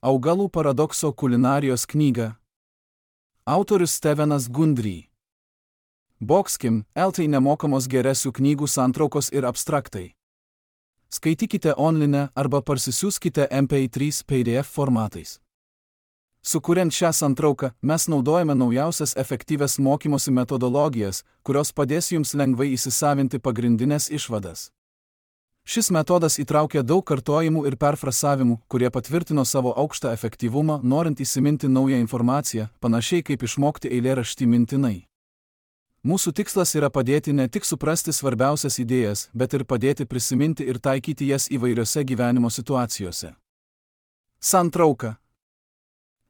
Augalų paradokso kulinarijos knyga. Autorius Stevenas Gundry. Boxkim, LT nemokamos geresių knygų santraukos ir abstraktai. Skaitykite online arba parsisiųskite MP3 PDF formatais. Sukuriant šią santrauką, mes naudojame naujausias efektyvias mokymosi metodologijas, kurios padės jums lengvai įsisavinti pagrindinės išvadas. Šis metodas įtraukia daug kartojimų ir perfrasavimų, kurie patvirtino savo aukštą efektyvumą, norint įsiminti naują informaciją, panašiai kaip išmokti eilėraštį mintinai. Mūsų tikslas yra padėti ne tik suprasti svarbiausias idėjas, bet ir padėti prisiminti ir taikyti jas įvairiose gyvenimo situacijose. Santrauka.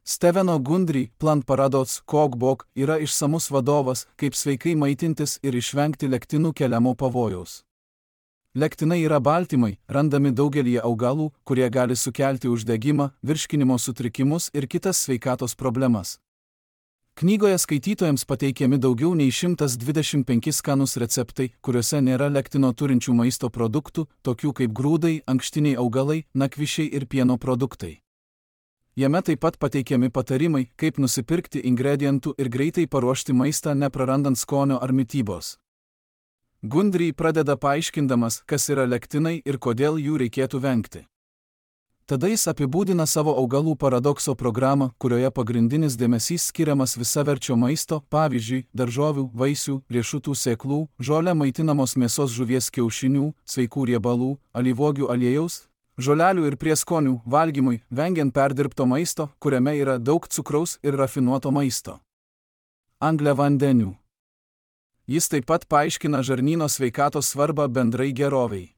Steveno Gundry Plant Paradox Cookbook yra išsamus vadovas, kaip sveikai maitintis ir išvengti lektinų keliamo pavojaus. Lektinai yra baltymai, randami daugelyje augalų, kurie gali sukelti uždegimą, virškinimo sutrikimus ir kitas sveikatos problemas. Knygoje skaitytojams pateikiami daugiau nei 125 skanūs receptai, kuriuose nėra lektino turinčių maisto produktų, tokių kaip grūdai, ankštiniai augalai, nakvišiai ir pieno produktai. Jame taip pat pateikiami patarimai, kaip nusipirkti ingredientų ir greitai paruošti maistą neprarandant skonio ar mitybos. Gundry pradeda paaiškindamas, kas yra lektinai ir kodėl jų reikėtų vengti. Tada jis apibūdina savo augalų paradokso programą, kurioje pagrindinis dėmesys skiriamas visaverčio maisto, pavyzdžiui, daržovių, vaisių, riešutų sėklų, žole maitinamos mėsos, žuvies, kiaušinių, sveikų riebalų, alyvuogių aliejaus, žolelių ir prieskonių valgymui, vengiant perdirbto maisto, kuriame yra daug cukraus ir rafinuoto maisto. Angliavandenių. Jis taip pat paaiškina žarnyno sveikatos svarbą bendrai gerovei.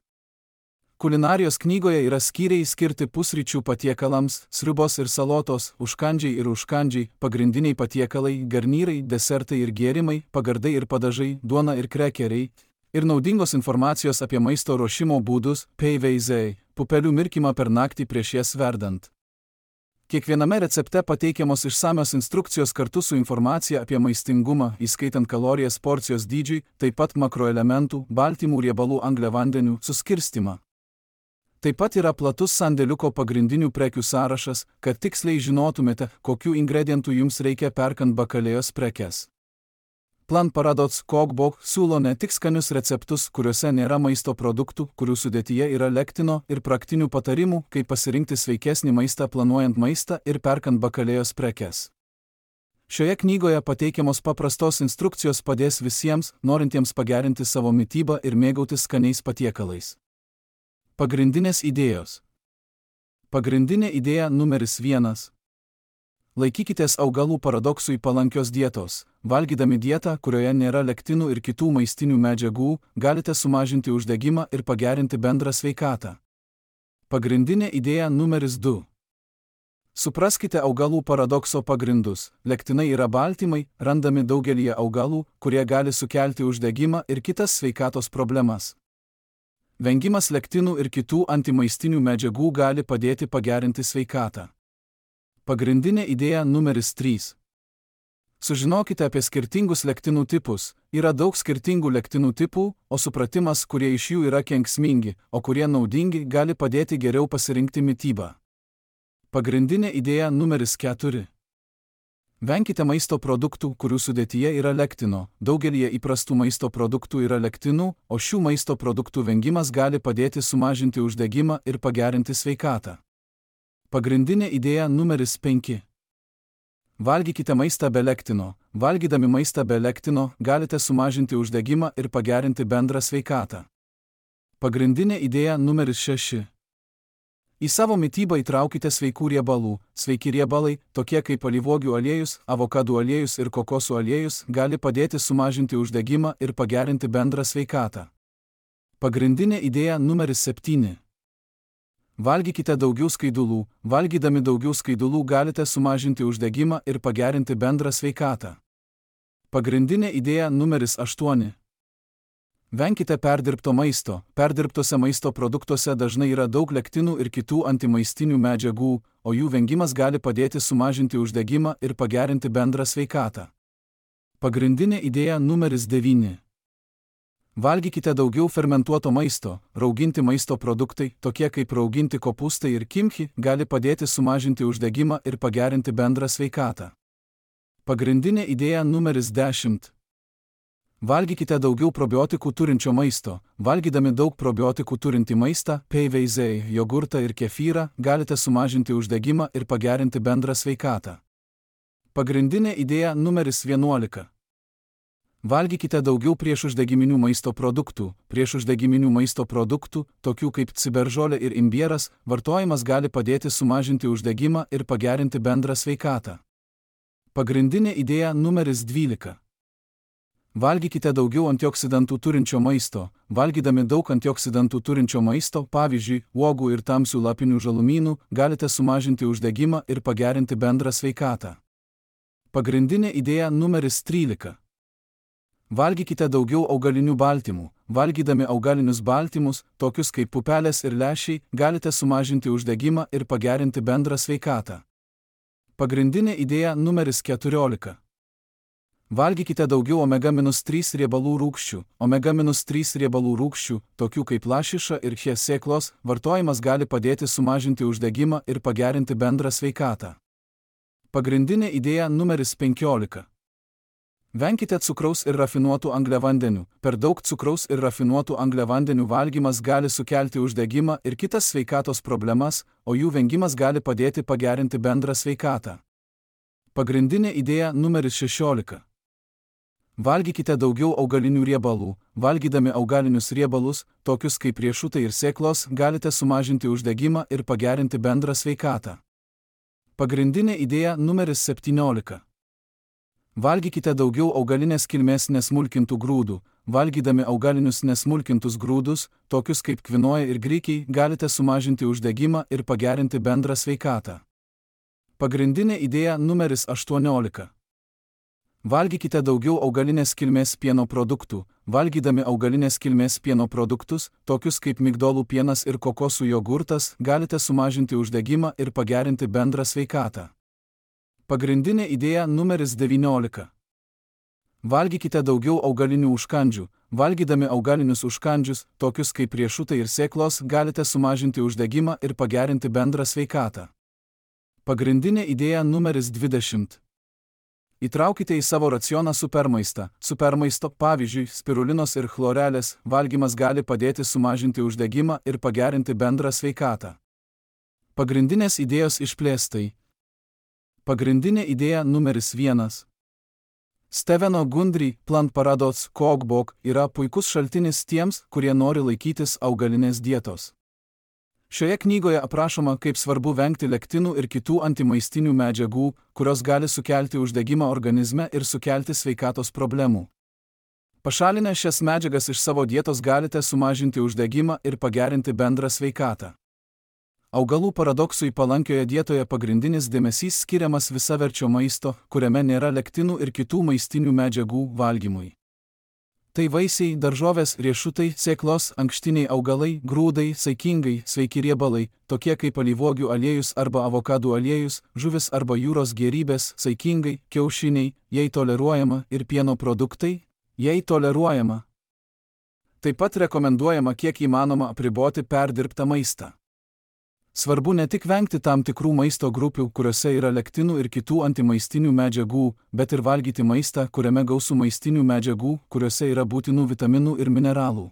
Kulinarijos knygoje yra skyriai skirti pusryčių patiekalams, sriubos ir salotos, užkandžiai ir užkandžiai, pagrindiniai patiekalai, garnyrai, desertai ir gėrimai, pagardai ir padažai, duona ir krekeriai, ir naudingos informacijos apie maisto ruošimo būdus, PVZ, pupelių mirkymą per naktį prieš jas verdant. Kiekviename recepte pateikiamos išsamios instrukcijos kartu su informacija apie maistingumą, įskaitant kalorijas porcijos dydžiui, taip pat makroelementų, baltymų, riebalų, angliavandenių suskirstymą. Taip pat yra platus sandėliuko pagrindinių prekių sąrašas, kad tiksliai žinotumėte, kokių ingredientų jums reikia perkant bakalėjos prekes. Plant Paradox Cookbook siūlo ne tik skanius receptus, kuriuose nėra maisto produktų, kurių sudėtyje yra lektino, ir praktinių patarimų, kaip pasirinkti sveikesnį maistą planuojant maistą ir perkant bakalėjos prekes. Šioje knygoje pateikiamos paprastos instrukcijos padės visiems, norintiems pagerinti savo mitybą ir mėgautis skaniais patiekalais. Pagrindinės idėjos. Pagrindinė idėja numeris 1. Laikykitės augalų paradoksui palankios dietos. Valgydami dietą, kurioje nėra lektinų ir kitų maistinių medžiagų, galite sumažinti uždegimą ir pagerinti bendrą sveikatą. Pagrindinė idėja numeris 2. Supraskite augalų paradokso pagrindus. Lektinai yra baltymai, randami daugelyje augalų, kurie gali sukelti uždegimą ir kitas sveikatos problemas. Vengimas lektinų ir kitų antimaistinių medžiagų gali padėti pagerinti sveikatą. Pagrindinė idėja numeris 3. Sužinokite apie skirtingus lektinų tipus. Yra daug skirtingų lektinų tipų, o supratimas, kurie iš jų yra kenksmingi, o kurie naudingi, gali padėti geriau pasirinkti mitybą. Pagrindinė idėja numeris 4. Venkite maisto produktų, kurių sudėtyje yra lektino. Daugelyje įprastų maisto produktų yra lektinų, o šių maisto produktų vengimas gali padėti sumažinti uždegimą ir pagerinti sveikatą. Pagrindinė idėja numeris 5. Valgykite maistą be lektino. Valgydami maistą be lektino galite sumažinti uždegimą ir pagerinti bendrą sveikatą. Pagrindinė idėja numeris 6. Į savo mitybą įtraukite sveikų riebalų. Sveiki riebalai, tokie kaip alyvuogių aliejus, avokadų aliejus ir kokosų aliejus, gali padėti sumažinti uždegimą ir pagerinti bendrą sveikatą. Pagrindinė idėja numeris 7. Valgykite daugiau skaidulų. Valgydami daugiau skaidulų galite sumažinti uždegimą ir pagerinti bendrą sveikatą. Pagrindinė idėja numeris 8. Venkite perdirbto maisto. Perdirbtose maisto produktuose dažnai yra daug lektinų ir kitų antimaistinių medžiagų, o jų vengimas gali padėti sumažinti uždegimą ir pagerinti bendrą sveikatą. Pagrindinė idėja numeris 9. Valgykite daugiau fermentuoto maisto. Rauginti maisto produktai, tokie kaip rauginti kopūstai ir kimchi, gali padėti sumažinti uždegimą ir pagerinti bendrą sveikatą. Pagrindinė idėja numeris 10. Valgykite daugiau probiotikų turinčio maisto. Valgydami daug probiotikų turintį maistą, PVZ, jogurtą ir kefyrą, galite sumažinti uždegimą ir pagerinti bendrą sveikatą. Pagrindinė idėja numeris 11. Valgykite daugiau priešuždegiminių maisto produktų. Priešuždegiminių maisto produktų, tokių kaip ciberžolė ir imbieras, vartojimas gali padėti sumažinti uždegimą ir pagerinti bendrą sveikatą. Pagrindinė idėja numeris 12. Valgykite daugiau antioksidantų turinčio maisto. Valgydami daug antioksidantų turinčio maisto, pavyzdžiui, uogų ir tamsių lapinių žalumynų, galite sumažinti uždegimą ir pagerinti bendrą sveikatą. Pagrindinė idėja numeris 13. Valgykite daugiau augalinių baltymų. Valgydami augalinius baltymus, tokius kaip pupelės ir lęšiai, galite sumažinti uždegimą ir pagerinti bendrą sveikatą. Pagrindinė idėja numeris 14. Valgykite daugiau omega-3 riebalų rūgščių. Omega-3 riebalų rūgščių, tokių kaip lašiša ir chia sėklos, vartojimas gali padėti sumažinti uždegimą ir pagerinti bendrą sveikatą. Pagrindinė idėja numeris 15. Venkite cukraus ir rafinuotų angliavandenių. Per daug cukraus ir rafinuotų angliavandenių valgymas gali sukelti uždegimą ir kitas sveikatos problemas, o jų vengimas gali padėti pagerinti bendrą sveikatą. Pagrindinė idėja numeris 16. Valgykite daugiau augalinių riebalų. Valgydami augalinius riebalus, tokius kaip riešutai ir sėklos, galite sumažinti uždegimą ir pagerinti bendrą sveikatą. Pagrindinė idėja numeris 17. Valgykite daugiau augalinės kilmės nesmulkintų grūdų. Valgydami augalinius nesmulkintus grūdus, tokius kaip kvinoja ir grikiai, galite sumažinti uždegimą ir pagerinti bendrą sveikatą. Pagrindinė idėja numeris 18. Valgykite daugiau augalinės kilmės pieno produktų. Valgydami augalinės kilmės pieno produktus, tokius kaip migdolų pienas ir kokosų jogurtas, galite sumažinti uždegimą ir pagerinti bendrą sveikatą. Pagrindinė idėja numeris 19. Valgykite daugiau augalinių užkandžių. Valgydami augalinius užkandžius, tokius kaip riešutai ir sėklos, galite sumažinti uždegimą ir pagerinti bendrą sveikatą. Pagrindinė idėja numeris 20. Įtraukite į savo racioną supermaistą. Supermaisto, pavyzdžiui, spirulinos ir chlorelės, valgymas gali padėti sumažinti uždegimą ir pagerinti bendrą sveikatą. Pagrindinės idėjos išplėstai. Pagrindinė idėja numeris 1. Steveno Gundry Plant Paradox Cookbook yra puikus šaltinis tiems, kurie nori laikytis augalinės dietos. Šioje knygoje aprašoma, kaip svarbu vengti lektinų ir kitų antimaistinių medžiagų, kurios gali sukelti uždegimą organizme ir sukelti sveikatos problemų. Pašalinę šias medžiagas iš savo dietos galite sumažinti uždegimą ir pagerinti bendrą sveikatą. Augalų paradoksui palankioje dietoje pagrindinis dėmesys skiriamas visaverčio maisto, kuriame nėra lektinų ir kitų maistinių medžiagų valgymui. Tai vaisiai, daržovės, riešutai, sėklos, ankštiniai augalai, grūdai, saikingai, sveiki riebalai, tokie kaip alyvuogių aliejus arba avokadų aliejus, žuvis arba jūros gėrybės, saikingai, kiaušiniai, jei toleruojama, ir pieno produktai, jei toleruojama. Taip pat rekomenduojama kiek įmanoma apriboti perdirbtą maistą. Svarbu ne tik vengti tam tikrų maisto grupių, kuriuose yra lektinų ir kitų antimaistinių medžiagų, bet ir valgyti maistą, kuriame gausu maistinių medžiagų, kuriuose yra būtinų vitaminų ir mineralų.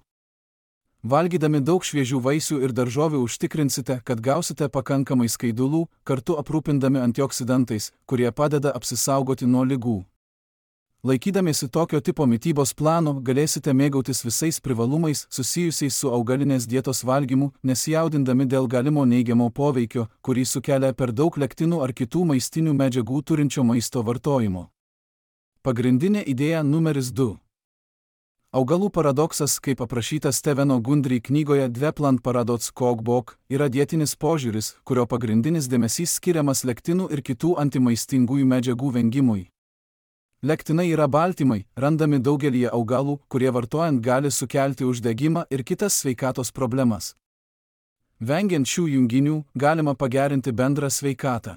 Valgydami daug šviežių vaisių ir daržovių užtikrinsite, kad gausite pakankamai skaidulų, kartu aprūpindami antioksidantais, kurie padeda apsisaugoti nuo ligų. Laikydamiesi tokio tipo mitybos plano, galėsite mėgautis visais privalumais susijusiais su augalinės dietos valgymu, nesijaudindami dėl galimo neigiamo poveikio, kurį sukelia per daug lektinų ar kitų maistinių medžiagų turinčio maisto vartojimo. Pagrindinė idėja numeris 2. Augalų paradoksas, kaip aprašyta Steveno Gundry knygoje The Plant Paradox Cookbook, yra dietinis požiūris, kurio pagrindinis dėmesys skiriamas lektinų ir kitų antimaistingųjų medžiagų vengimui. Lektinai yra baltymai, randami daugelyje augalų, kurie vartojant gali sukelti uždegimą ir kitas sveikatos problemas. Vengiant šių junginių, galima pagerinti bendrą sveikatą.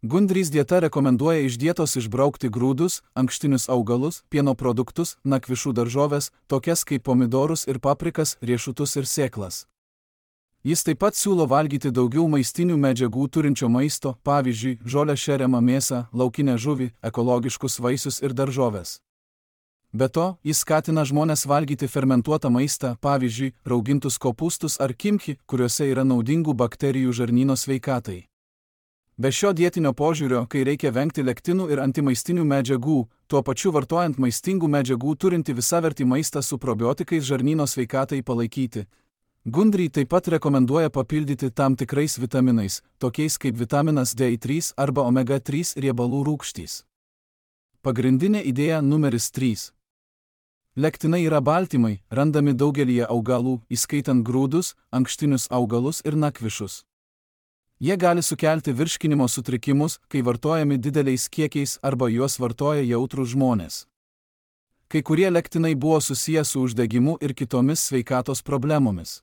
Gundry's dieta rekomenduoja iš dietos išbraukti grūdus, ankštinius augalus, pieno produktus, nakvišų daržoves, tokias kaip pomidorus ir paprikas, riešutus ir sėklas. Jis taip pat siūlo valgyti daugiau maistinių medžiagų turinčio maisto, pavyzdžiui, žolę šeriamą mėsą, laukinę žuvį, ekologiškus vaisius ir daržoves. Be to, jis skatina žmones valgyti fermentuotą maistą, pavyzdžiui, raugintus kopūstus ar kimchi, kuriuose yra naudingų bakterijų žarnyno sveikatai. Be šio dietinio požiūrio, kai reikia vengti lektinų ir antimaistinių medžiagų, tuo pačiu vartojant maistingų medžiagų turinti visavertį maistą su probiotikais žarnyno sveikatai palaikyti, Gundry taip pat rekomenduoja papildyti tam tikrais vitaminais, tokiais kaip vitaminas D3 arba omega-3 riebalų rūgštys. Pagrindinė idėja numeris 3. Lektinai yra baltymai, randami daugelyje augalų, įskaitant grūdus, ankštinius augalus ir nakvišus. Jie gali sukelti virškinimo sutrikimus, kai vartojami dideliais kiekiais arba juos vartoja jautrūs žmonės. Kai kurie lektinai buvo susiję su uždegimu ir kitomis sveikatos problemomis.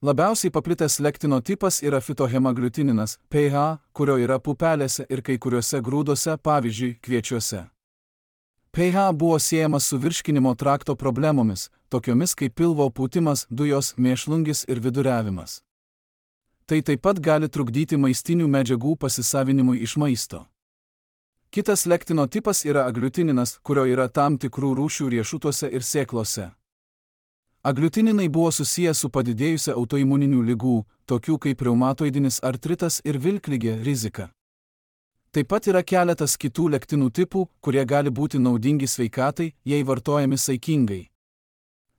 Labiausiai paplitęs lektino tipas yra fitohemagliutininas, PH, kurio yra pupelėse ir kai kuriuose grūduose, pavyzdžiui, kviečiuose. PH buvo siejamas su virškinimo trakto problemomis, tokiomis kaip pilvo pūtimas, dujos, mėšlungis ir viduriavimas. Tai taip pat gali trukdyti maistinių medžiagų pasisavinimui iš maisto. Kitas lektino tipas yra agliutininas, kurio yra tam tikrų rūšių riešutuose ir sėklose. Agliutininai buvo susiję su padidėjusia autoimuninių ligų, tokių kaip reumatoidinis artritas ir vilkligė rizika. Taip pat yra keletas kitų lektinų tipų, kurie gali būti naudingi sveikatai, jei vartojami saikingai.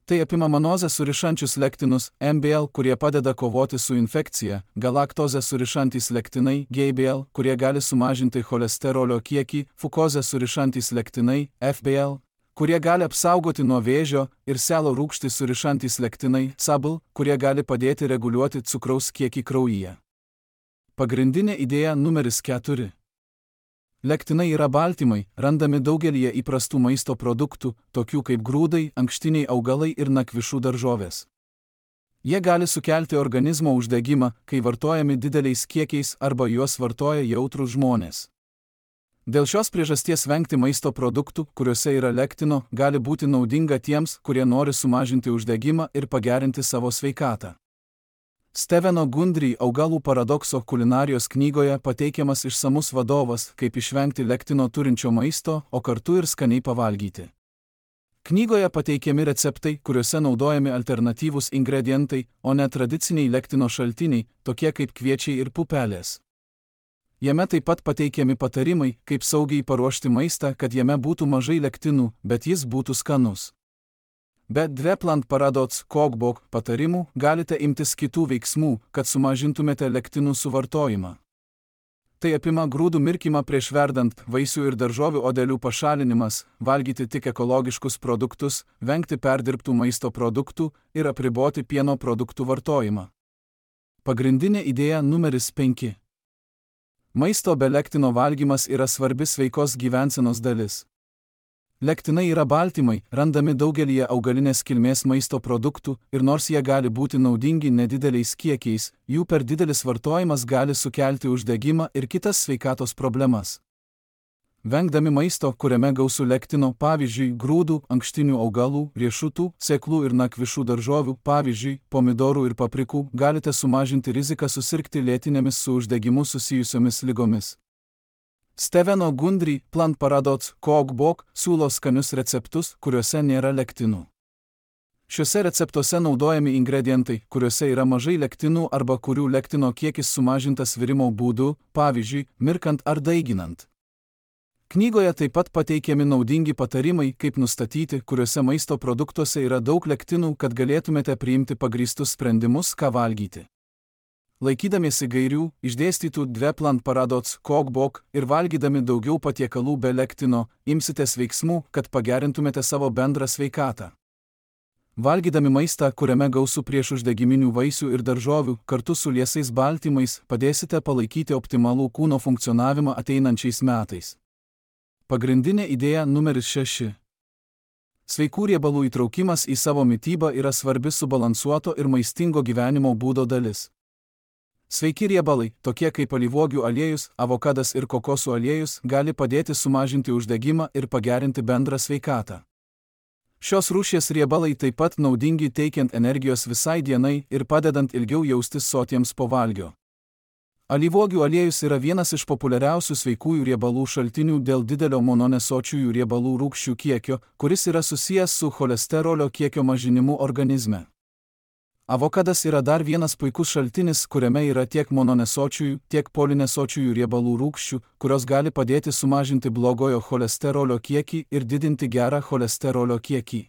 Tai apima manozę surišančius lektinus, MBL, kurie padeda kovoti su infekcija, galaktozę surišantys lektinai, GBL, kurie gali sumažinti cholesterolio kiekį, fukozę surišantys lektinai, FBL, kurie gali apsaugoti nuo vėžio, ir selo rūgštį surišantys lektinai, SABL, kurie gali padėti reguliuoti cukraus kiekį kraujyje. Pagrindinė idėja numeris 4. Lektinai yra baltymai, randami daugelyje įprastų maisto produktų, tokių kaip grūdai, ankštiniai augalai ir nakvišų daržovės. Jie gali sukelti organizmo uždegimą, kai vartojami dideliais kiekiais arba juos vartoja jautrūs žmonės. Dėl šios priežasties vengti maisto produktų, kuriuose yra lektino, gali būti naudinga tiems, kurie nori sumažinti uždegimą ir pagerinti savo sveikatą. Steveno Gundry augalų paradokso kulinarijos knygoje pateikiamas išsamus vadovas, kaip išvengti lektino turinčio maisto, o kartu ir skaniai pavalgyti. Knygoje pateikiami receptai, kuriuose naudojami alternatyvūs ingredientai, o ne tradiciniai lektino šaltiniai, tokie kaip kviečiai ir pupelės. Jame taip pat pateikiami patarimai, kaip saugiai paruošti maistą, kad jame būtų mažai lektinų, bet jis būtų skanus. Be Dveplant Paradox Cookbook patarimų galite imtis kitų veiksmų, kad sumažintumėte lektinų suvartojimą. Tai apima grūdų mirkymą prieš verdant, vaisių ir daržovių odelių pašalinimas, valgyti tik ekologiškus produktus, vengti perdirbtų maisto produktų ir apriboti pieno produktų vartojimą. Pagrindinė idėja numeris 5. Maisto be lektino valgymas yra svarbi sveikos gyvensenos dalis. Lektinai yra baltymai, randami daugelyje augalinės kilmės maisto produktų ir nors jie gali būti naudingi nedideliais kiekiais, jų per didelis vartojimas gali sukelti uždegimą ir kitas sveikatos problemas. Vengdami maisto, kuriame gausu lektino, pavyzdžiui, grūdų, ankštinių augalų, riešutų, sėklų ir nakvišų daržovių, pavyzdžiui, pomidorų ir paprikų, galite sumažinti riziką susirgti lėtinėmis su uždegimu susijusiomis ligomis. Steveno Gundry Plant Paradox Cookbook siūlo skanius receptus, kuriuose nėra lektinų. Šiuose receptuose naudojami ingredientai, kuriuose yra mažai lektinų arba kurių lektino kiekis sumažintas virimo būdu, pavyzdžiui, mirkant ar daiginant. Knygoje taip pat pateikiami naudingi patarimai, kaip nustatyti, kuriuose maisto produktuose yra daug lektinų, kad galėtumėte priimti pagrįstus sprendimus, ką valgyti. Laikydamiesi gairių, išdėstytų Dveplant Paradox Cookbook ir valgydami daugiau patiekalų be lektino, imsitės veiksmų, kad pagerintumėte savo bendrą sveikatą. Valgydami maistą, kuriame gausu priešuždegiminių vaisių ir daržovių, kartu su liesais baltymais, padėsite palaikyti optimalų kūno funkcionavimą ateinančiais metais. Pagrindinė idėja numeris 6. Sveikų riebalų įtraukimas į savo mitybą yra svarbi subalansuoto ir maistingo gyvenimo būdo dalis. Sveiki riebalai, tokie kaip alyvuogių aliejus, avokadas ir kokosų aliejus, gali padėti sumažinti uždegimą ir pagerinti bendrą sveikatą. Šios rūšies riebalai taip pat naudingi teikiant energijos visai dienai ir padedant ilgiau jaustis sotiems po valgio. Alyvuogių aliejus yra vienas iš populiariausių sveikųjų riebalų šaltinių dėl didelio mononesočiųjų riebalų rūgščių kiekio, kuris yra susijęs su cholesterolio kiekio mažinimu organizme. Avokadas yra dar vienas puikus šaltinis, kuriame yra tiek mononesočiųjų, tiek polinesočiųjų riebalų rūgščių, kurios gali padėti sumažinti blogojo cholesterolio kiekį ir didinti gerą cholesterolio kiekį.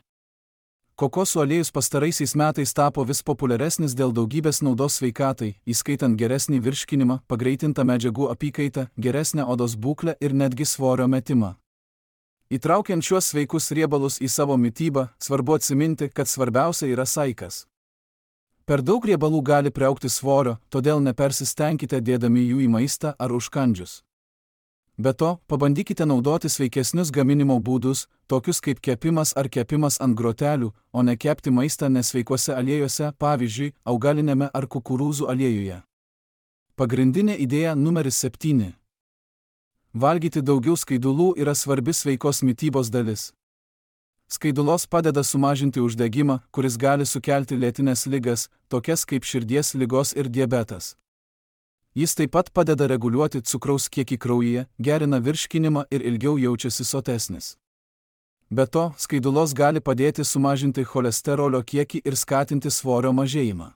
Kokosų aliejus pastaraisiais metais tapo vis populiaresnis dėl daugybės naudos sveikatai, įskaitant geresnį virškinimą, pagreitintą medžiagų apykaitą, geresnę odos būklę ir netgi svorio metimą. Įtraukiant šiuos sveikus riebalus į savo mitybą, svarbu atsiminti, kad svarbiausia yra saikas. Per daug riebalų gali priaugti svorio, todėl nepersistengkite dėdami jų į maistą ar užkandžius. Be to, pabandykite naudoti sveikesnius gaminimo būdus, tokius kaip kepimas ar kepimas ant grotelių, o ne kepti maistą nesveikuose aliejuose, pavyzdžiui, augalinėme ar kukurūzų aliejuje. Pagrindinė idėja numeris 7. Valgyti daugiau skaidulų yra svarbi sveikos mitybos dalis. Skaidulos padeda sumažinti uždegimą, kuris gali sukelti lėtines ligas, tokias kaip širdies ligos ir diabetas. Jis taip pat padeda reguliuoti cukraus kiekį kraujyje, gerina virškinimą ir ilgiau jaučiasi sotesnis. Be to, skaidulos gali padėti sumažinti cholesterolio kiekį ir skatinti svorio mažėjimą.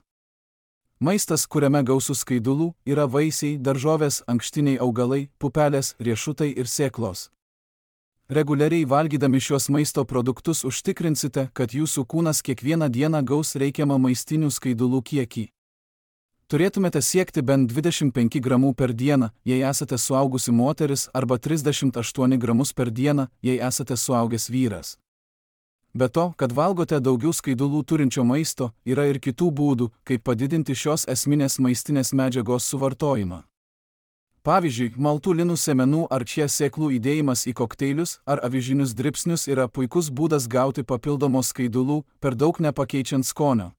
Maistas, kuriame gausu skaidulų, yra vaisiai, daržovės, ankštiniai augalai, pupelės, riešutai ir sėklos. Reguliariai valgydami šios maisto produktus užtikrinsite, kad jūsų kūnas kiekvieną dieną gaus reikiamą maistinių skaidulų kiekį. Turėtumėte siekti bent 25 gramų per dieną, jei esate suaugusi moteris, arba 38 gramus per dieną, jei esate suaugęs vyras. Be to, kad valgote daugiau skaidulų turinčio maisto, yra ir kitų būdų, kaip padidinti šios esminės maistinės medžiagos suvartojimą. Pavyzdžiui, maltų linų sėmenų ar čia sėklų įdėjimas į kokteilius ar avižinius dribsnius yra puikus būdas gauti papildomos skaidulų, per daug nepakeičiant skonio.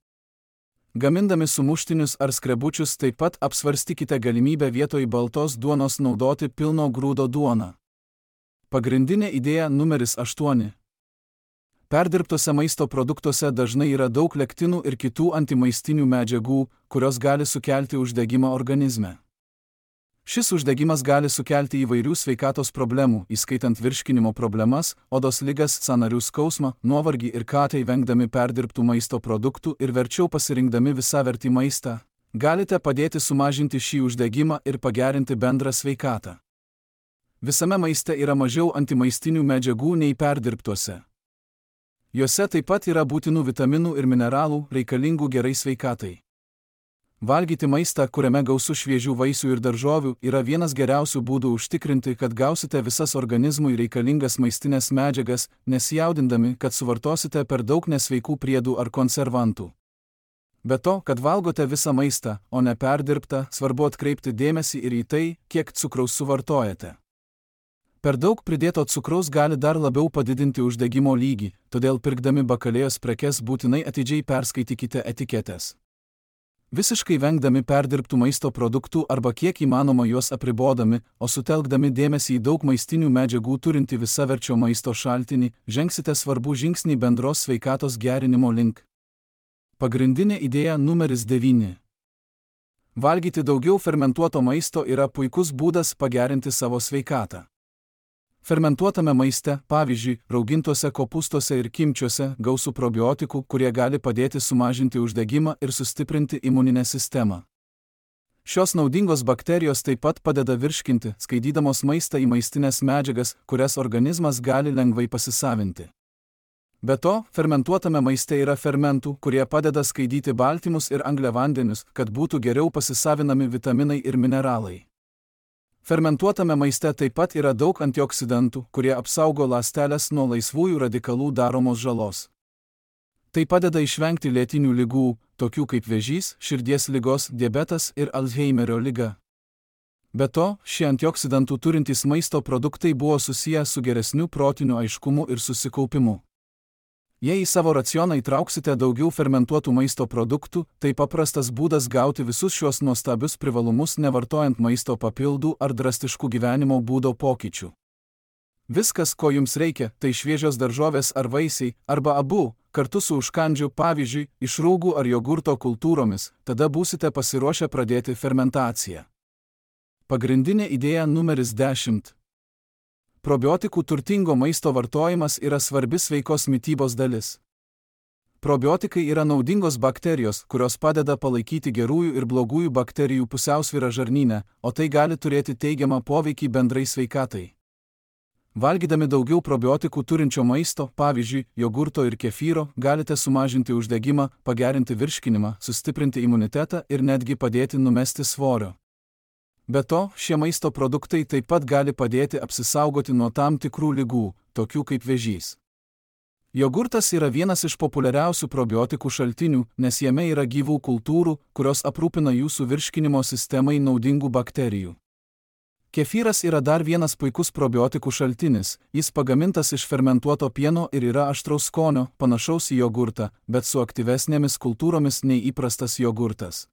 Gamindami sumuštinius ar skrebučius taip pat apsvarstykite galimybę vietoj baltos duonos naudoti pilno grūdo duoną. Pagrindinė idėja numeris 8. Perdirbtose maisto produktuose dažnai yra daug lektinų ir kitų antimaistinių medžiagų, kurios gali sukelti uždegimą organizme. Šis uždegimas gali sukelti įvairių sveikatos problemų, įskaitant virškinimo problemas, odos ligas, sąnarių skausmą, nuovargį ir tai vengdami perdirbtų maisto produktų ir verčiau pasirinkdami visavertį maistą, galite padėti sumažinti šį uždegimą ir pagerinti bendrą sveikatą. Visame maiste yra mažiau antimaistinių medžiagų nei perdirbtuose. Juose taip pat yra būtinų vitaminų ir mineralų, reikalingų gerai sveikatai. Valgyti maistą, kuriame gausu šviežių vaisių ir daržovių, yra vienas geriausių būdų užtikrinti, kad gausite visas organizmui reikalingas maistinės medžiagas, nesijaudindami, kad suvartosite per daug nesveikų priedų ar konservantų. Be to, kad valgote visą maistą, o ne perdirbtą, svarbu atkreipti dėmesį ir į tai, kiek cukraus suvartojate. Per daug pridėto cukraus gali dar labiau padidinti uždegimo lygį, todėl pirkdami bakalėjos prekes būtinai atidžiai perskaitykite etiketes. Visiškai vengdami perdirbtų maisto produktų arba kiek įmanoma juos apribodami, o sutelkdami dėmesį į daug maistinių medžiagų turinti visaverčio maisto šaltinį, žengsite svarbų žingsnį bendros sveikatos gerinimo link. Pagrindinė idėja numeris 9. Valgyti daugiau fermentuoto maisto yra puikus būdas pagerinti savo sveikatą. Fermentuotame maiste, pavyzdžiui, raugintuose kopūstuose ir kimčiuose, gausu probiotikų, kurie gali padėti sumažinti uždegimą ir sustiprinti imuninę sistemą. Šios naudingos bakterijos taip pat padeda virškinti, skaidydamos maistą į maistinės medžiagas, kurias organizmas gali lengvai pasisavinti. Be to, fermentuotame maiste yra fermentų, kurie padeda skaidyti baltymus ir angliavandenius, kad būtų geriau pasisavinami vitaminai ir mineralai. Fermentuotame maiste taip pat yra daug antioksidantų, kurie apsaugo ląsteles nuo laisvųjų radikalų daromos žalos. Tai padeda išvengti lėtinių ligų, tokių kaip vėžys, širdies ligos, diabetas ir Alzheimerio liga. Be to, šie antioksidantų turintys maisto produktai buvo susiję su geresniu protiniu aiškumu ir susikaupimu. Jei į savo racioną įtrauksite daugiau fermentuotų maisto produktų, tai paprastas būdas gauti visus šios nuostabius privalumus nevartojant maisto papildų ar drastiškų gyvenimo būdo pokyčių. Viskas, ko jums reikia, tai šviežios daržovės ar vaisiai, arba abu, kartu su užkandžiu, pavyzdžiui, iš rūgų ar jogurto kultūromis, tada būsite pasiruošę pradėti fermentaciją. Pagrindinė idėja numeris 10. Probiotikų turtingo maisto vartojimas yra svarbi sveikos mitybos dalis. Probiotikai yra naudingos bakterijos, kurios padeda palaikyti gerųjų ir blogųjų bakterijų pusiausvyrą žarnyne, o tai gali turėti teigiamą poveikį bendrai sveikatai. Valgydami daugiau probiotikų turinčio maisto, pavyzdžiui, jogurto ir kefyro, galite sumažinti uždegimą, pagerinti virškinimą, sustiprinti imunitetą ir netgi padėti numesti svorio. Be to, šie maisto produktai taip pat gali padėti apsisaugoti nuo tam tikrų ligų, tokių kaip vėžys. Jogurtas yra vienas iš populiariausių probiotikų šaltinių, nes jame yra gyvų kultūrų, kurios aprūpina jūsų virškinimo sistemai naudingų bakterijų. Kefyras yra dar vienas puikus probiotikų šaltinis, jis pagamintas iš fermentuoto pieno ir yra aštraus skonio, panašaus į jogurtą, bet su aktyvesnėmis kultūromis nei įprastas jogurtas.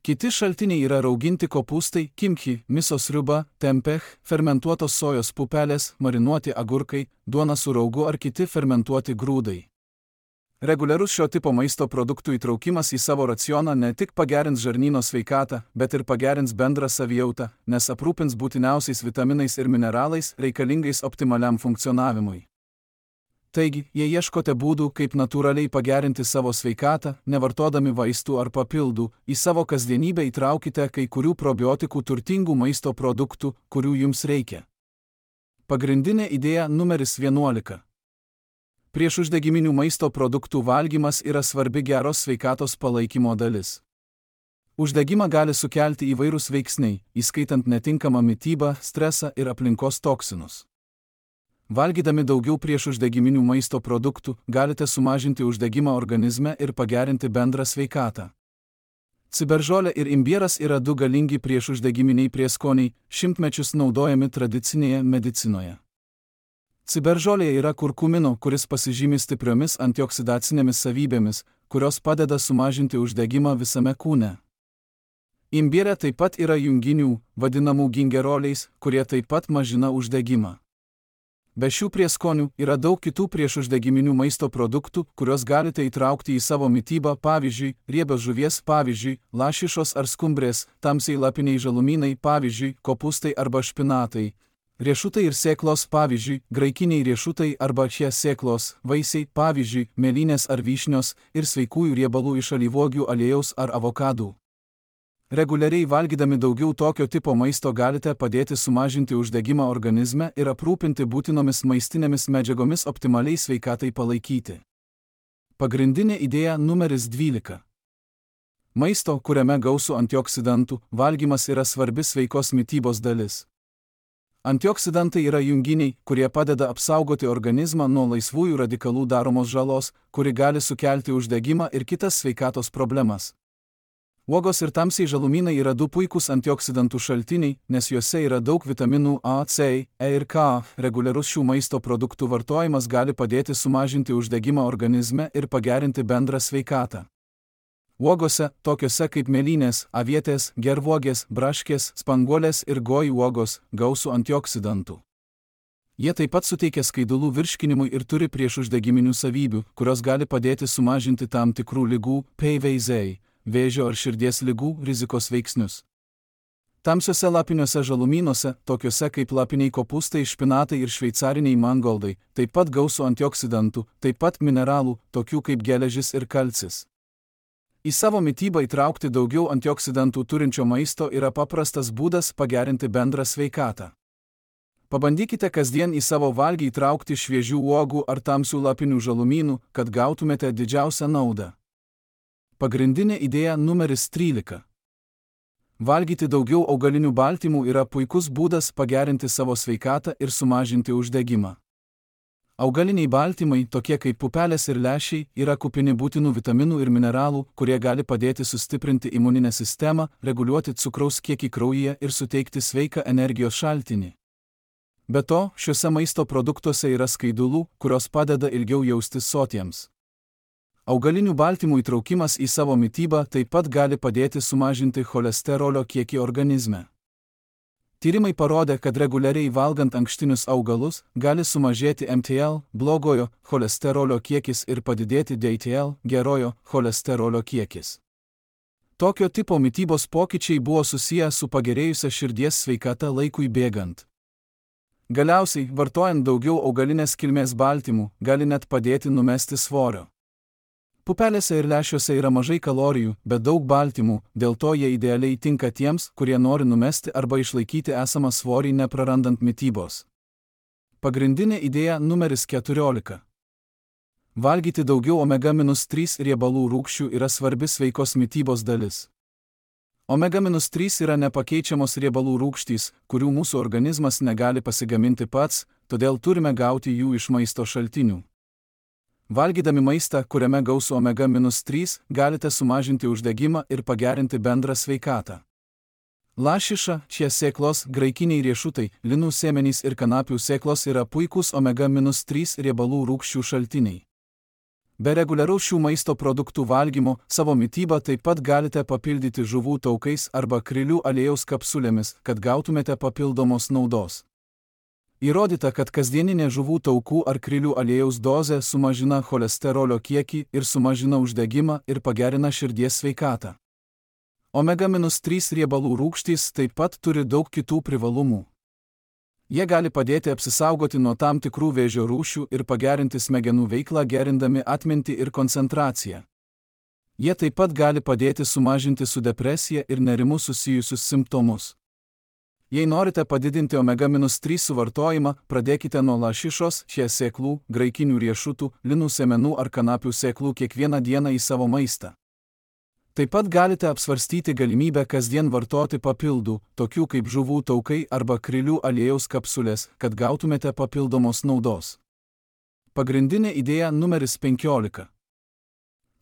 Kiti šaltiniai yra rauginti kopūstai, kimchi, miso sriuba, tempeh, fermentuotos sojos pupelės, marinuoti agurkai, duona su raugu ar kiti fermentuoti grūdai. Reguliarus šio tipo maisto produktų įtraukimas į savo racioną ne tik pagerins žarnyno sveikatą, bet ir pagerins bendrą savijautą, nes aprūpins būtiniausiais vitaminais ir mineralais reikalingais optimaliam funkcionavimui. Taigi, jei ieškote būdų, kaip natūraliai pagerinti savo sveikatą, nevartodami vaistų ar papildų, į savo kasdienybę įtraukite kai kurių probiotikų turtingų maisto produktų, kurių jums reikia. Pagrindinė idėja numeris 11. Priešuždegiminių maisto produktų valgymas yra svarbi geros sveikatos palaikymo dalis. Uždegimą gali sukelti įvairūs veiksniai, įskaitant netinkamą mitybą, stresą ir aplinkos toksinus. Valgydami daugiau priešuždegiminių maisto produktų, galite sumažinti uždegimą organizme ir pagerinti bendrą sveikatą. Ciberžolė ir imbieras yra du galingi priešuždegiminiai prieskoniai, šimtmečius naudojami tradicinėje medicinoje. Ciberžolėje yra kurkumino, kuris pasižymi stipriomis antioksidacinėmis savybėmis, kurios padeda sumažinti uždegimą visame kūne. Imbiere taip pat yra junginių, vadinamų gingeroliais, kurie taip pat mažina uždegimą. Be šių prieskonių yra daug kitų priešuždegiminių maisto produktų, kuriuos galite įtraukti į savo mitybą, pavyzdžiui, riebios žuvies, pavyzdžiui, lašišos ar skumbrės, tamsiai lapiniai žalumynai, pavyzdžiui, kopūstai arba špinatai, riešutai ir sėklos, pavyzdžiui, graikiniai riešutai arba šie sėklos, vaisiai, pavyzdžiui, mėlynės ar vyšnios ir sveikųjų riebalų iš alyvuogių aliejaus ar avokadų. Reguliariai valgydami daugiau tokio tipo maisto galite padėti sumažinti uždegimą organizme ir aprūpinti būtinomis maistinėmis medžiagomis optimaliai sveikatai palaikyti. Pagrindinė idėja numeris 12. Maisto, kuriame gausu antioksidantų, valgymas yra svarbi sveikos mitybos dalis. Antioksidantai yra junginiai, kurie padeda apsaugoti organizmą nuo laisvųjų radikalų daromos žalos, kuri gali sukelti uždegimą ir kitas sveikatos problemas. Uogos ir tamsiai žalumynai yra du puikūs antioksidantų šaltiniai, nes juose yra daug vitaminų A, C, E ir K. Reguliarus šių maisto produktų vartojimas gali padėti sumažinti uždegimą organizme ir pagerinti bendrą sveikatą. Uogose, tokiose kaip mėlynės, avietės, gervuogės, braškės, spanguolės ir gojų uogos, gausu antioksidantų. Jie taip pat suteikia skaidulų virškinimui ir turi priešuždegiminių savybių, kurios gali padėti sumažinti tam tikrų ligų, PVZ, vėžio ar širdies ligų rizikos veiksnius. Tamsiuose lapiniuose žalumynuose, tokiuose kaip lapiniai kopūstai, špinatai ir šveicariniai mangoldai, taip pat gausu antioksidantų, taip pat mineralų, tokių kaip geležis ir kalcis. Į savo mitybą įtraukti daugiau antioksidantų turinčio maisto yra paprastas būdas pagerinti bendrą sveikatą. Pabandykite kasdien į savo valgį įtraukti šviežių uogų ar tamsių lapinių žalumynų, kad gautumėte didžiausią naudą. Pagrindinė idėja numeris 13. Valgyti daugiau augalinių baltymų yra puikus būdas pagerinti savo sveikatą ir sumažinti uždegimą. Augaliniai baltymai, tokie kaip pupelės ir lęšiai, yra kupini būtinų vitaminų ir mineralų, kurie gali padėti sustiprinti imuninę sistemą, reguliuoti cukraus kiekį kraujyje ir suteikti sveiką energijos šaltinį. Be to, šiuose maisto produktuose yra skaidulų, kurios padeda ilgiau jaustis sotiems. Augalinių baltymų įtraukimas į savo mitybą taip pat gali padėti sumažinti cholesterolio kiekį organizme. Tyrimai parodė, kad reguliariai valgant ankštinius augalus gali sumažėti MTL, blogojo cholesterolio kiekis ir padidėti DHL, gerojo cholesterolio kiekis. Tokio tipo mitybos pokyčiai buvo susiję su pagerėjusia širdies sveikata laikui bėgant. Galiausiai, vartojant daugiau augalinės kilmės baltymų, gali net padėti numesti svorio. Pupelėse ir lęšiuose yra mažai kalorijų, bet daug baltymų, dėl to jie idealiai tinka tiems, kurie nori numesti arba išlaikyti esamą svorį neprarandant mitybos. Pagrindinė idėja numeris 14. Valgyti daugiau omega-3 riebalų rūgščių yra svarbi sveikos mitybos dalis. Omega-3 yra nepakeičiamos riebalų rūgštys, kurių mūsų organizmas negali pasigaminti pats, todėl turime gauti jų iš maisto šaltinių. Valgydami maistą, kuriame gausu omega-3, galite sumažinti uždegimą ir pagerinti bendrą sveikatą. Lašiša, šie sėklos, graikiniai riešutai, linų sėmenys ir kanapių sėklos yra puikūs omega-3 riebalų rūgščių šaltiniai. Be reguliaraus šių maisto produktų valgymo, savo mitybą taip pat galite papildyti žuvų taukais arba krilių aliejaus kapsulėmis, kad gautumėte papildomos naudos. Įrodyta, kad kasdieninė žuvų taukų ar krilių aliejaus dozė sumažina cholesterolio kiekį ir sumažina uždegimą ir pagerina širdies sveikatą. Omega-3 riebalų rūgštys taip pat turi daug kitų privalumų. Jie gali padėti apsisaugoti nuo tam tikrų vėžio rūšių ir pagerinti smegenų veiklą gerindami atmintį ir koncentraciją. Jie taip pat gali padėti sumažinti su depresija ir nerimu susijusius simptomus. Jei norite padidinti omega-3 suvartojimą, pradėkite nuo lašišos, šie sėklų, graikinių riešutų, linų sėmenų ar kanapių sėklų kiekvieną dieną į savo maistą. Taip pat galite apsvarstyti galimybę kasdien vartoti papildų, tokių kaip žuvų taukai arba krilių aliejaus kapsulės, kad gautumėte papildomos naudos. Pagrindinė idėja numeris 15.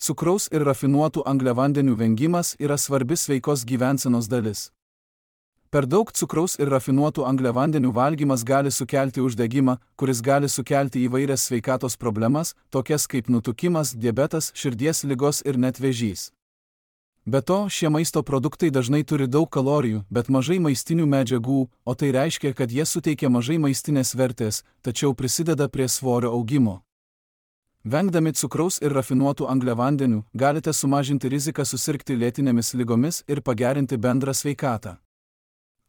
Cukraus ir rafinuotų angliavandenių vengimas yra svarbi sveikos gyvensenos dalis. Per daug cukraus ir rafinuotų angliavandenių valgymas gali sukelti uždegimą, kuris gali sukelti įvairias sveikatos problemas, tokias kaip nutukimas, diabetas, širdies ligos ir net vėžys. Be to, šie maisto produktai dažnai turi daug kalorijų, bet mažai maistinių medžiagų, o tai reiškia, kad jie suteikia mažai maistinės vertės, tačiau prisideda prie svorio augimo. Vengdami cukraus ir rafinuotų angliavandenių, galite sumažinti riziką susirgti lėtinėmis ligomis ir pagerinti bendrą sveikatą.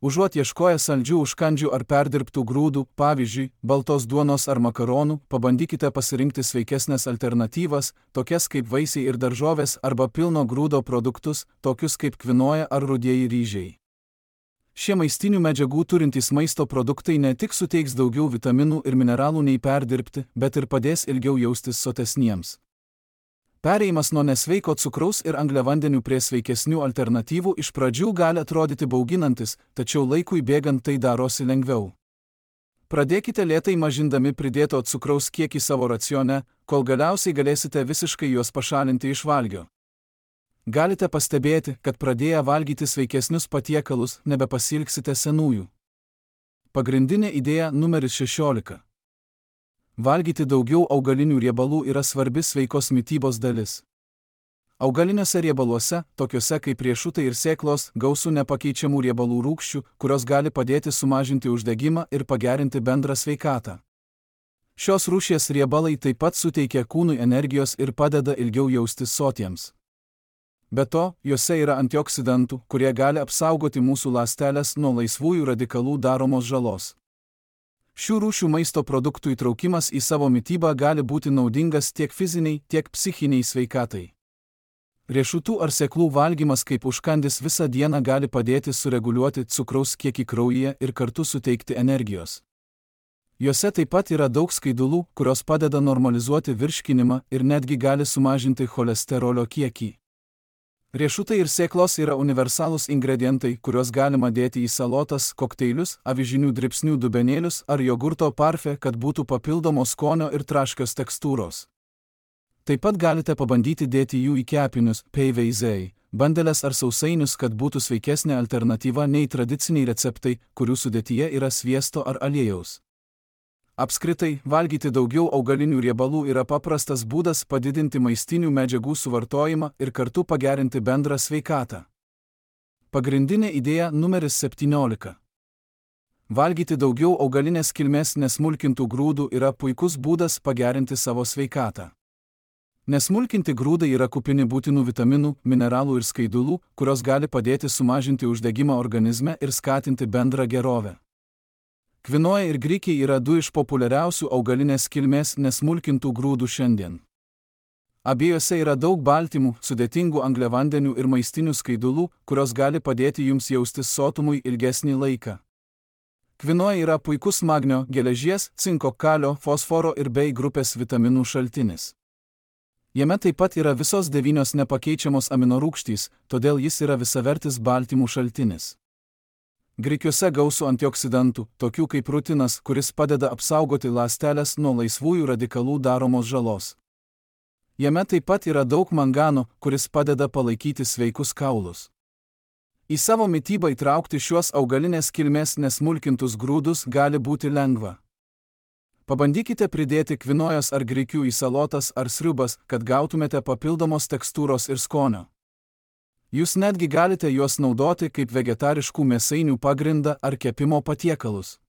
Užuot ieškoję saldžių užkandžių ar perdirbtų grūdų, pavyzdžiui, baltos duonos ar makaronų, pabandykite pasirinkti sveikesnės alternatyvas, tokias kaip vaisiai ir daržovės arba pilno grūdo produktus, tokius kaip kvinoja ar rudieji ryžiai. Šie maistinių medžiagų turintys maisto produktai ne tik suteiks daugiau vitaminų ir mineralų nei perdirbti, bet ir padės ilgiau jaustis sotesniems. Perėjimas nuo nesveiko cukraus ir angliavandenių prie sveikesnių alternatyvų iš pradžių gali atrodyti bauginantis, tačiau laikui bėgant tai darosi lengviau. Pradėkite lėtai mažindami pridėto cukraus kiekį savo racione, kol galiausiai galėsite visiškai juos pašalinti iš valgio. Galite pastebėti, kad pradėję valgyti sveikesnius patiekalus, nebepasilgsite senųjų. Pagrindinė idėja numeris 16. Valgyti daugiau augalinių riebalų yra svarbi sveikos mitybos dalis. Augaliniuose riebaluose, tokiuose kaip riešutai ir sėklos, gausu nepakeičiamų riebalų rūgščių, kurios gali padėti sumažinti uždegimą ir pagerinti bendrą sveikatą. Šios rūšies riebalai taip pat suteikia kūnui energijos ir padeda ilgiau jaustis sotiems. Be to, juose yra antioksidantų, kurie gali apsaugoti mūsų ląsteles nuo laisvųjų radikalų daromos žalos. Šių rūšių maisto produktų įtraukimas į savo mitybą gali būti naudingas tiek fiziniai, tiek psichiniai sveikatai. Riešutų ar sėklų valgymas kaip užkandis visą dieną gali padėti sureguliuoti cukraus kiekį kraujyje ir kartu suteikti energijos. Juose taip pat yra daug skaidulų, kurios padeda normalizuoti virškinimą ir netgi gali sumažinti cholesterolio kiekį. Riešutai ir sėklos yra universalūs ingredientai, kuriuos galima dėti į salotas, kokteilius, avižinių dribsnių dubenėlius ar jogurto parfė, kad būtų papildomos skonio ir traškios tekstūros. Taip pat galite pabandyti dėti jų į kepinius, peiveizei, bandeles ar sausainius, kad būtų sveikesnė alternatyva nei tradiciniai receptai, kurių sudėtyje yra sviesto ar aliejaus. Apskritai, valgyti daugiau augalinių riebalų yra paprastas būdas padidinti maistinių medžiagų suvartojimą ir kartu pagerinti bendrą sveikatą. Pagrindinė idėja numeris 17. Valgyti daugiau augalinės kilmės nesmulkintų grūdų yra puikus būdas pagerinti savo sveikatą. Nesmulkinti grūdai yra kupini būtinų vitaminų, mineralų ir skaidulų, kurios gali padėti sumažinti uždegimą organizme ir skatinti bendrą gerovę. Kvinoja ir grikiai yra du iš populiariausių augalinės kilmės nesmulkintų grūdų šiandien. Abiejose yra daug baltymų, sudėtingų angliavandenių ir maistinių skaidulų, kurios gali padėti jums jaustis sotumui ilgesnį laiką. Kvinoja yra puikus magnio, geležies, cinko, kalio, fosforo ir B grupės vitaminų šaltinis. Jame taip pat yra visos 9 nepakeičiamos aminorūgštys, todėl jis yra visavertis baltymų šaltinis. Grikiuose gausu antioksidantų, tokių kaip rutinas, kuris padeda apsaugoti ląsteles nuo laisvųjų radikalų daromos žalos. Jame taip pat yra daug mangano, kuris padeda palaikyti sveikus kaulus. Į savo mitybą įtraukti šiuos augalinės kilmės nesmulkintus grūdus gali būti lengva. Pabandykite pridėti kvinojos ar grikių į salotas ar sriubas, kad gautumėte papildomos tekstūros ir skonio. Jūs netgi galite juos naudoti kaip vegetariškų mėsainių pagrindą ar kepimo patiekalus.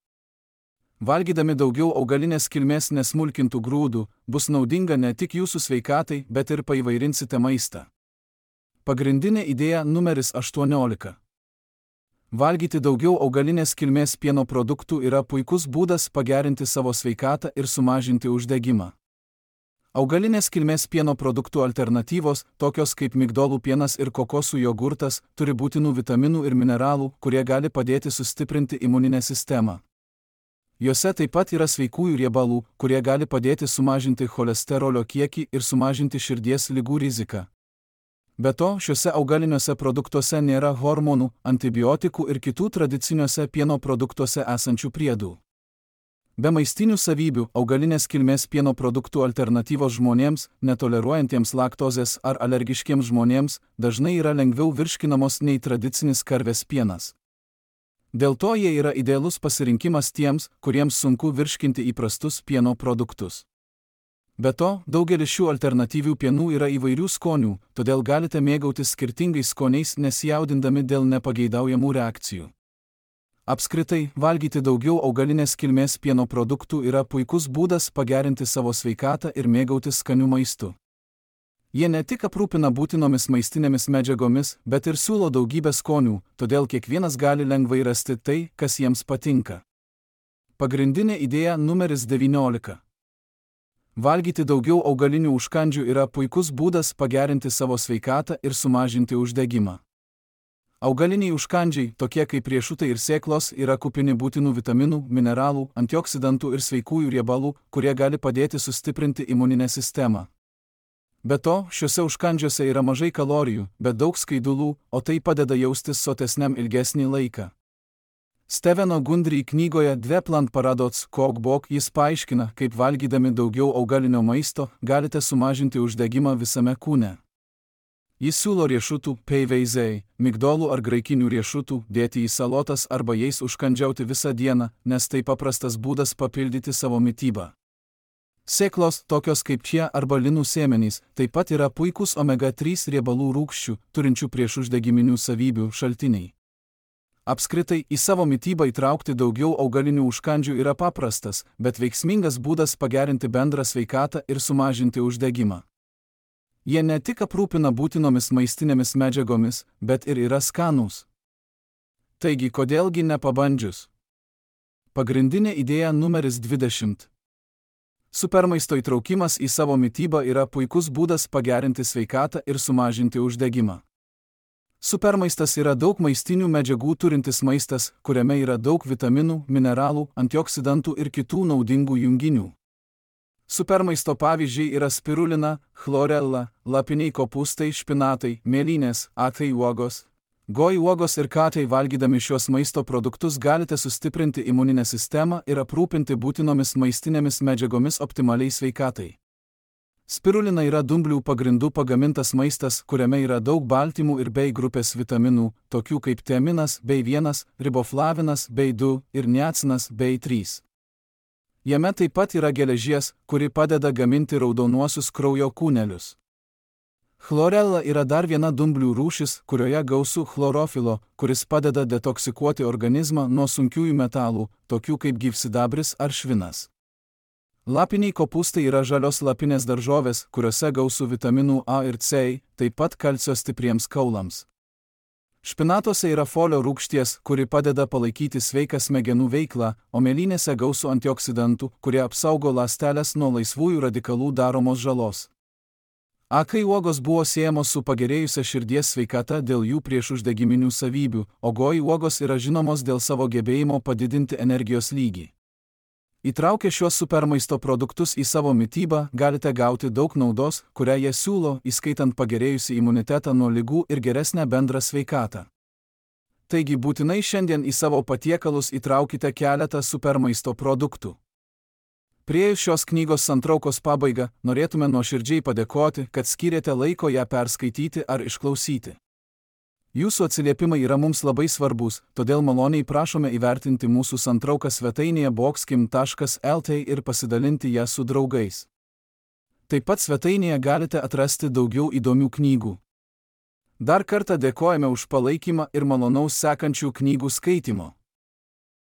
Valgydami daugiau augalinės kilmės nesmulkintų grūdų, bus naudinga ne tik jūsų sveikatai, bet ir paįvairinsite maistą. Pagrindinė idėja numeris 18. Valgyti daugiau augalinės kilmės pieno produktų yra puikus būdas pagerinti savo sveikatą ir sumažinti uždegimą. Augalinės kilmės pieno produktų alternatyvos, tokios kaip migdolų pienas ir kokosų jogurtas, turi būtinų vitaminų ir mineralų, kurie gali padėti sustiprinti imuninę sistemą. Jose taip pat yra sveikųjų riebalų, kurie gali padėti sumažinti cholesterolio kiekį ir sumažinti širdies ligų riziką. Be to, šiuose augaliniuose produktuose nėra hormonų, antibiotikų ir kitų tradiciniuose pieno produktuose esančių priedų. Be maistinių savybių, augalinės kilmės pieno produktų alternatyvos žmonėms, netoleruojantiems laktozės ar alergiškiems žmonėms, dažnai yra lengviau virškinamos nei tradicinis karvės pienas. Dėl to jie yra idealus pasirinkimas tiems, kuriems sunku virškinti įprastus pieno produktus. Be to, daugelis šių alternatyvių pienų yra įvairių skonių, todėl galite mėgautis skirtingais skoniais nesijaudindami dėl nepageidaujamų reakcijų. Apskritai, valgyti daugiau augalinės kilmės pieno produktų yra puikus būdas pagerinti savo sveikatą ir mėgautis skaniu maistu. Jie ne tik aprūpina būtinomis maistinėmis medžiagomis, bet ir siūlo daugybę skonių, todėl kiekvienas gali lengvai rasti tai, kas jiems patinka. Pagrindinė idėja numeris 19. Valgyti daugiau augalinių užkandžių yra puikus būdas pagerinti savo sveikatą ir sumažinti uždegimą. Augaliniai užkandžiai, tokie kaip riešutai ir sėklos, yra kupini būtinų vitaminų, mineralų, antioksidantų ir sveikųjų riebalų, kurie gali padėti sustiprinti imuninę sistemą. Be to, šiuose užkandžiuose yra mažai kalorijų, bet daug skaidulų, o tai padeda jaustis sotesniam ilgesnį laiką. Steveno Gundry knygoje Dve plant paradoks cookbook jis paaiškina, kaip valgydami daugiau augalinio maisto galite sumažinti uždegimą visame kūne. Jis siūlo riešutų, peiveizei, migdolų ar graikinių riešutų dėti į salotas arba jais užkandžiauti visą dieną, nes tai paprastas būdas papildyti savo mitybą. Sėklos, tokios kaip čia arba linų sėmenys, taip pat yra puikūs omega-3 riebalų rūgščių, turinčių priešuždegiminių savybių šaltiniai. Apskritai, į savo mitybą įtraukti daugiau augalinių užkandžių yra paprastas, bet veiksmingas būdas pagerinti bendrą sveikatą ir sumažinti uždegimą. Jie ne tik aprūpina būtinomis maistinėmis medžiagomis, bet ir yra skanūs. Taigi, kodėlgi nepabandžius? Pagrindinė idėja numeris 20. Supermaisto įtraukimas į savo mitybą yra puikus būdas pagerinti sveikatą ir sumažinti uždegimą. Supermaistas yra daug maistinių medžiagų turintis maistas, kuriame yra daug vitaminų, mineralų, antioksidantų ir kitų naudingų junginių. Supermaisto pavyzdžiai yra spirulina, chlorella, lapiniai kopūstai, špinatai, mėlynės, atai uogos. Goi uogos ir katai valgydami šios maisto produktus galite sustiprinti imuninę sistemą ir aprūpinti būtinomis maistinėmis medžiagomis optimaliai sveikatai. Spirulina yra dumblių pagrindų pagamintas maistas, kuriame yra daug baltymų ir B grupės vitaminų, tokių kaip tiaminas B1, riboflavinas B2 ir niacinas B3. Jame taip pat yra geležies, kuri padeda gaminti raudonuosius kraujo kūnelius. Chlorella yra dar viena dumblių rūšis, kurioje gausu chlorofilo, kuris padeda detoksikuoti organizmą nuo sunkiųjų metalų, tokių kaip gyvsidabris ar švinas. Lapiniai kopūstai yra žalios lapinės daržovės, kuriuose gausu vitaminų A ir C, taip pat kalcio stipriems kaulams. Špinatuose yra folio rūgšties, kuri padeda palaikyti sveiką smegenų veiklą, o mėlynėse gausu antioksidantų, kurie apsaugo ląsteles nuo laisvųjų radikalų daromos žalos. Akai uogos buvo siejamos su pagerėjusia širdies sveikata dėl jų priešuždegiminių savybių, o goji uogos yra žinomos dėl savo gebėjimo padidinti energijos lygį. Įtraukę šiuos supermaisto produktus į savo mitybą, galite gauti daug naudos, kurią jie siūlo, įskaitant pagerėjusi imunitetą nuo ligų ir geresnę bendrą sveikatą. Taigi būtinai šiandien į savo patiekalus įtraukite keletą supermaisto produktų. Priėjus šios knygos santraukos pabaigą, norėtume nuoširdžiai padėkoti, kad skyrėte laiko ją perskaityti ar išklausyti. Jūsų atsiliepimai yra mums labai svarbus, todėl maloniai prašome įvertinti mūsų santrauką svetainėje boxkim.lt ir pasidalinti ją su draugais. Taip pat svetainėje galite atrasti daugiau įdomių knygų. Dar kartą dėkojame už palaikymą ir malonaus sekančių knygų skaitimo.